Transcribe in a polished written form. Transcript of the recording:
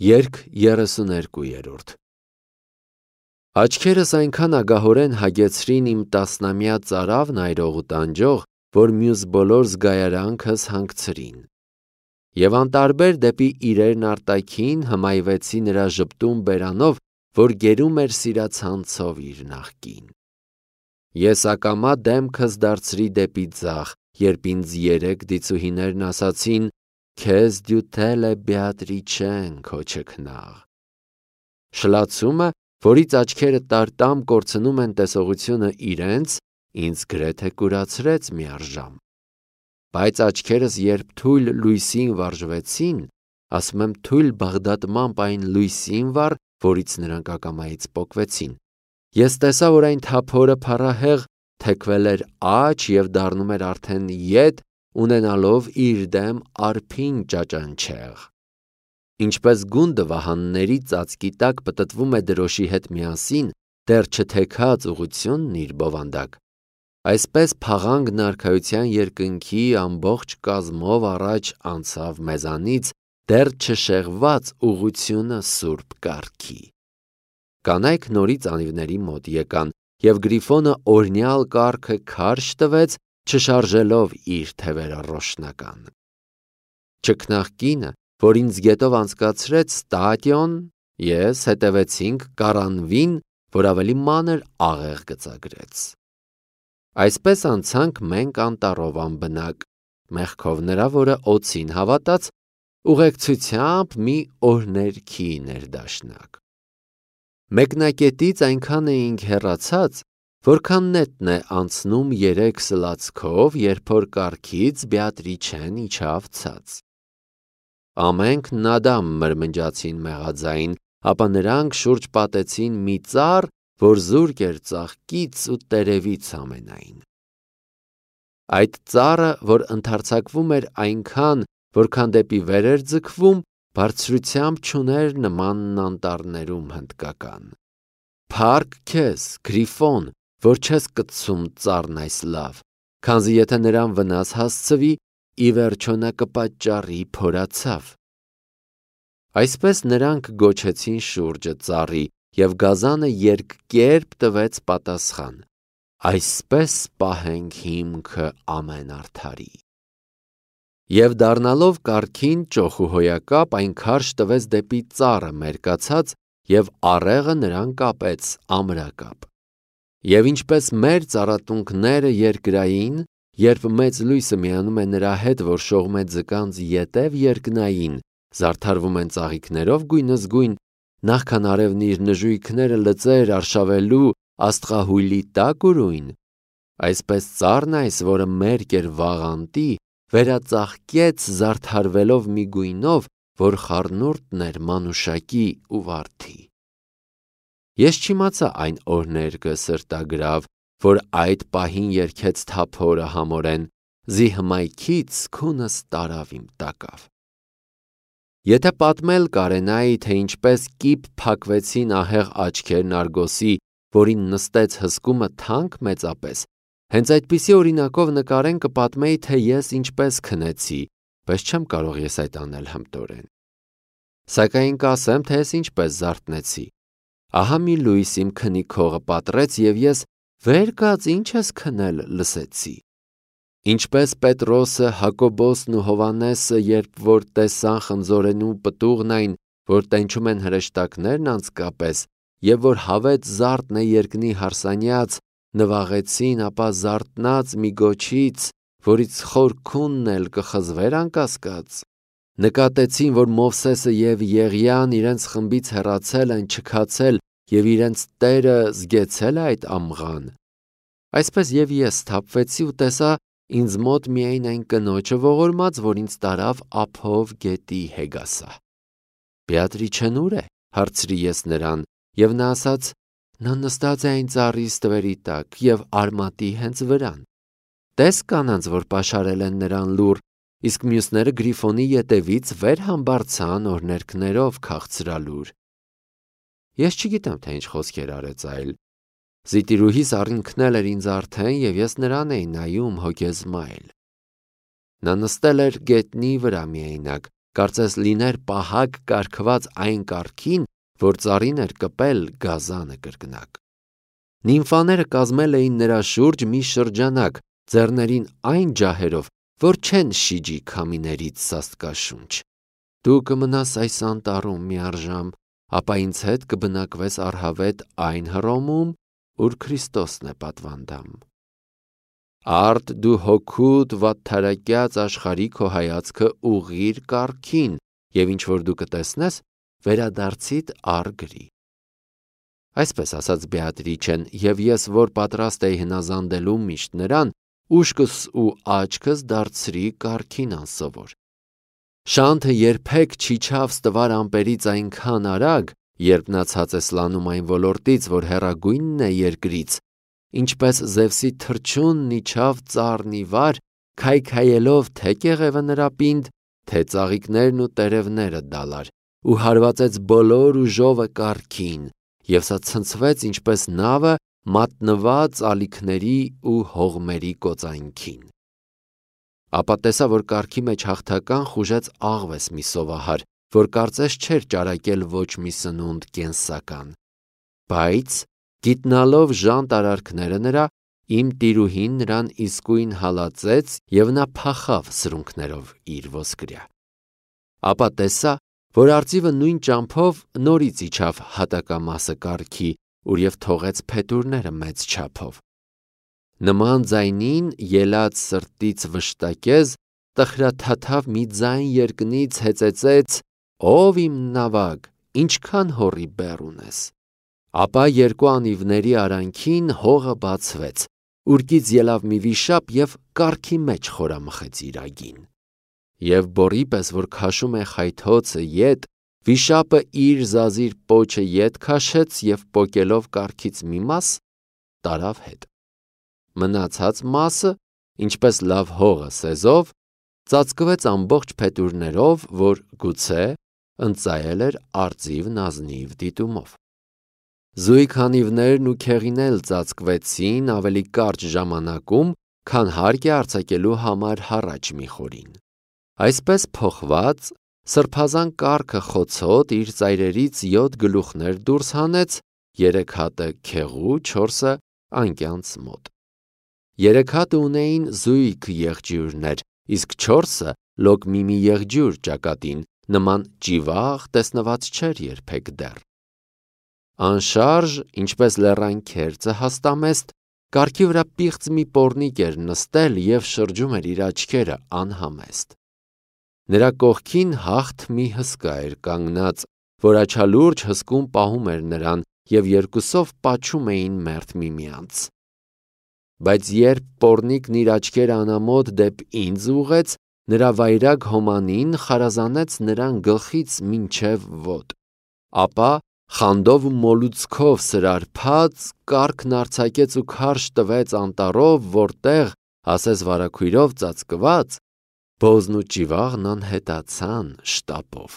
Երգ 32-րդ Աչքերս այնքան ագահորեն հագեցրին իմ տասնամյա ծարավն այրող ու տանջող, որ մյուս բոլոր զգայարանքս հանգցրին։ Եվ անտարբեր դեպի իրերն արտաքին հմայվեցի նրա ժպտուն բերանով, որ գերում էր սիրացանցով իր նախկին։ Ես ակամա դեմքս դարձրի դեպի ձախ, երբ ինձ երեք դիցուհիներն ասացին. «Քեզ դյութել է Բեատրիչեն քո չքնաղ»։ Շլացումը, որից աչքերը տարտամ կորցնում են տեսողությունը իրենց, ինձ գրեթե կուրացրեց միառժամ։ Բայց աչքերս երբ թույլ լույսին վարժվեցին, ասում եմ թույլ բաղդատմամբ այն լույսին վառ, որից նրանք ակամայից պոկվեցին, ես տեսա, որ այն թափորը փառահեղ թեքվել էր աջ և դառնում էր արդեն ետ, ունենալով իր դեմ արփին ճաճանչեղ։ Ինչպես գունդը վահանների ծածկի տակ պտտվում է դրոշի հետ միասին, դեռ չթեքած ուղղությունն իր բովանդակ, այսպես փաղանգն արքայության երկնքի ամբողջ կազմով առաջ անցավ մեզանից, դեռ չշեղված ուղղությունը սուրբ կարգի։ Կանայք նորից անիվների մոտ եկան, և Գրիֆոնը օրհնյալ կառքը քարշ տվեց, չշարժելով իր թևերը ռոշնական։ Չքնաղ կինը, որ ինձ գետով անցկացրեց ստադիոն, ես հետևեցինք կառանվին, որ ավելի մանր աղեղ գծագրեց։ Այսպես անցանք մենք անտառով անբնակ, մեղքով նրա, որը օձին հավատաց, ուղեկցությամբ մի օրհներքի ներդաշնակ։ Մեկնակետից այնքան էինք հեռացած, որքան նետն է անցնում 3 սլացքով, երբ որ կառքից Բեատրիչեն իջավ ցած։ Ամենք նադամ մրմնջացին մեղաձայն, ապա նրանք շուրջ պատեցին մի ծառ, որ զուրկ էր ծաղկից ու տերևից ամենայն։ Այդ ծառը, որ ընդարձակվում էր այնքան, որքան դեպի վեր էր ձգվում, բարձրությամբ չուներ նմանն անտառներում հնդկական։ Փառք քեզ, Գրիֆոն, որ չես կծում ծառն այս լավ, քանզի եթե նրան վնաս հասցվի, ի վերջո նա կպատճառի փորացավ։ Այսպես նրանք գոչեցին շուրջը ծառի, և գազանը երկկերպ տվեց պատասխան. այսպես պահենք հիմքը ամեն արդարի։ Եվ դառնալով կառքին ճոխուհոյակապ, այն քարշ տվեց դեպի ծառը մերկացած, և առեղը նրան կապեց ամրակապ։ Եվ ինչպես մեր ծառատունքները երկրային, երբ մեծ լույսը միանում է նրա հետ, որ շողում է ձկանց ետև երկնային, զարդարվում են ծաղիկներով գույնզգույն, նախքան արևն իր նժույգները լծեր արշավելու աստղահույլի տակ ուրույն, այսպես ծառն այս, որը մերկ էր վաղանտի, վերածաղկեց զարդարվելով մի գույնով, որ խառնուրդն էր մանուշակի ու վարդի։ Ես չիմացա այն օրհներգը սրտագրավ, որ այդ պահին երգեց թափորը համորեն, զի հմայքից քունս տարավ իմ տակավ։ Եթե պատմել կարենայի, թե ինչպես կիպ փակվեցին ահեղ աչքերն Արգոսի, որին նստեց հսկումը թանկ մեծապես, հենց այդպիսի օրինակով նկարեն կպատմեի, թե ես ինչպես քնեցի, բայց չեմ կարող ես այդ անել հմտորեն։ Սակայն կասեմ, թե ես ինչպես զարթնեցի։ Ահա մի լույս իմ քնի քողը պատռեց, և ես վեր կաց ինչ ես քնել լսեցի։ Ինչպես Պետրոսը, Հակոբոսն ու Հովանեսը, երբ որ տեսան խնձորենու պտուղն այն, որ տենչում են հրեշտակներն անցկապես, և որ հավետ զարդն է երկնի հարսանյաց, նվաղեցին, ապա զարթնած մի գոչից, որից խոր քունն էլ կխզվեր անկասկած, նկատեցին, որ Մովսեսը և Եղիան իրենց խմբից հեռացել են, չքացել և իրենց Տերը զգեցել է այդ ամղան։ Այսպես և ես սթափվեցի ու տեսա ինձ մոտ միայն այն կնոջը ողորմած, որ ինձ տարավ ափով գետի Հեգասա։ Բեատրիչեն ո՞ւր է, հարցրի ես նրան, և նա ասաց. նա նստած է այն ծառի ստվերի տակ և արմատի հենց վրան։ Տես կանանց, որ պաշարել են նրան լուռ, իսկ մյուսները Գրիֆոնի ետևից վեր համբարձան օրհներգներով քաղցրալուր։ Ես չգիտեմ, թե ինչ խոսքեր արեց այլ։ Զիտիրուհիս առինքնել էր ինձ արդեն, և ես նրան էի նայում հոգեզմայլ։ Նա նստել էր գետնի վրա միայնակ, կարծես լիներ պահակ կարգված այն կարգին, որ ծառին էր կպել գազանը կրկնակ։ Նիմֆաները կազմել էին նրա շուրջ մի շրջանակ, ձեռներին այն ջահերով, որ չեն շիջի քամիներից սաստկաշունչ։ Դու կմնաս այս անտառում միառժամ, ապա ինձ հետ կբնակվես առհավետ այն Հռոմում, ուր Քրիստոսն է պատվանդամ։ Արդ դու հոգուդ վատթարակյաց աշխարհի քո հայացքը ուղղիր կարգին, եւ ինչ որ դու կտեսնես, վերադարձիդ արգրի։ Այսպես ասաց Բեատրիչեն, եւ ես, որ պատրաստ էի հնազանդելու միշտ նրան, ուշքս ու աչքս դարձրի կարգին անսովոր։ Շանթը երբեք չիջավ ստվար ամպերից այնքան արագ, երբ նա ցած է սլանում այն ոլորտից, որ հեռագույնն է երկրից, ինչպես Զևսի թռչունն իջավ ծառն ի վար, քայքայելով թե կեղևը նրա պինդ, թե ծաղիկներն ու տերևները դալար, ու հարվածեց բոլոր ուժովը կարգին, եւ սա ցնցվեց ինչպես նավը մատնված ալիքների ու հողմերի կոծանքին։ Ապա տեսա, որ կարգի մեջ հաղթական խուժեց աղվես մի սովահար, որ կարծես չէր ճարակել ոչ մի սնունդ կենսական, բայց գիտնալով ժանտ արարքները նրա, իմ տիրուհին նրան իսկույն հալածեց եւ նա փախավ սրունքներով իր ոսկրյա։ Ապա տեսա, որ արծիվը նույն ճամփով նորից իջավ հատակամասը կարգի, ուր եւ թողեց փետուրները մեծ չափով։ Նման ձայնին ելած սրտից վշտակեզ տխրաթաթավ մի ձայն երկնից հեծեցեց. «Ով իմ նավակ, ինչքան հորի բեռ ունես»։ Ապա երկու անիվների արանքին հողը բացվեց, ուրկից ելավ մի վիշապ եւ կարգի մեջ խորամխեց իր ագին։ Եվ բորի պես, որ քաշում է խայթոցը ետ, վիշապը իր զազիր պոչը ետ քաշեց եւ պոկելով կարգից մի մաս տարավ հետ։ Մնացած մասը, ինչպես լավ հողը սեզով, ծածկվեց ամբողջ փետուրներով, որ գուցե ընծայել էր արծիվն ազնիվ դիտումով։ Զույգ անիվներն ու քեղին էլ ծածկվեցին ավելի կարճ ժամանակում, քան հարկ է արձակելու համար հառաչ մի խորին։ Այսպես փոխված, սրբազան կառքը խոցոտ իր ծայրերից 7 գլուխներ դուրս հանեց, 3 հատը քեղու, 4-ը անկյանց մոտ։ 3 հատը ունեին զույգ եղջյուրներ, իսկ 4-ը լոկմիմի եղջյուր ճակատին, նման ճիվաղ տեսնված չէր երբեք դեռ։ Անշարժ, ինչպես լեռան քերծը հաստամեստ, կառքի վրա պիղծ մի պոռնիկ էր նստել եւ շրջում էր իր աչքերը անհամեստ։ Նրա կողքին հաղթ մի հսկա էր կանգնած, որ աչալուրջ հսկում պահում էր նրան եւ երկուսով պաչում էին մերթ միմյանց։ Բայց երբ պոռնիկն իր աչքերը անամոտ դեպ ինձ ուղեց, նրա վայրագ հոմանին խարազանեց նրան գլխից մինչև ոտք, ապա խանդով ու մոլուցքով սրարփած կառքն արձակեց ու քարշ տվեց անտառով, որտեղ, ասես վարագույրով ծածկված, բոզն ու ճիվաղն անհետացան շտապով։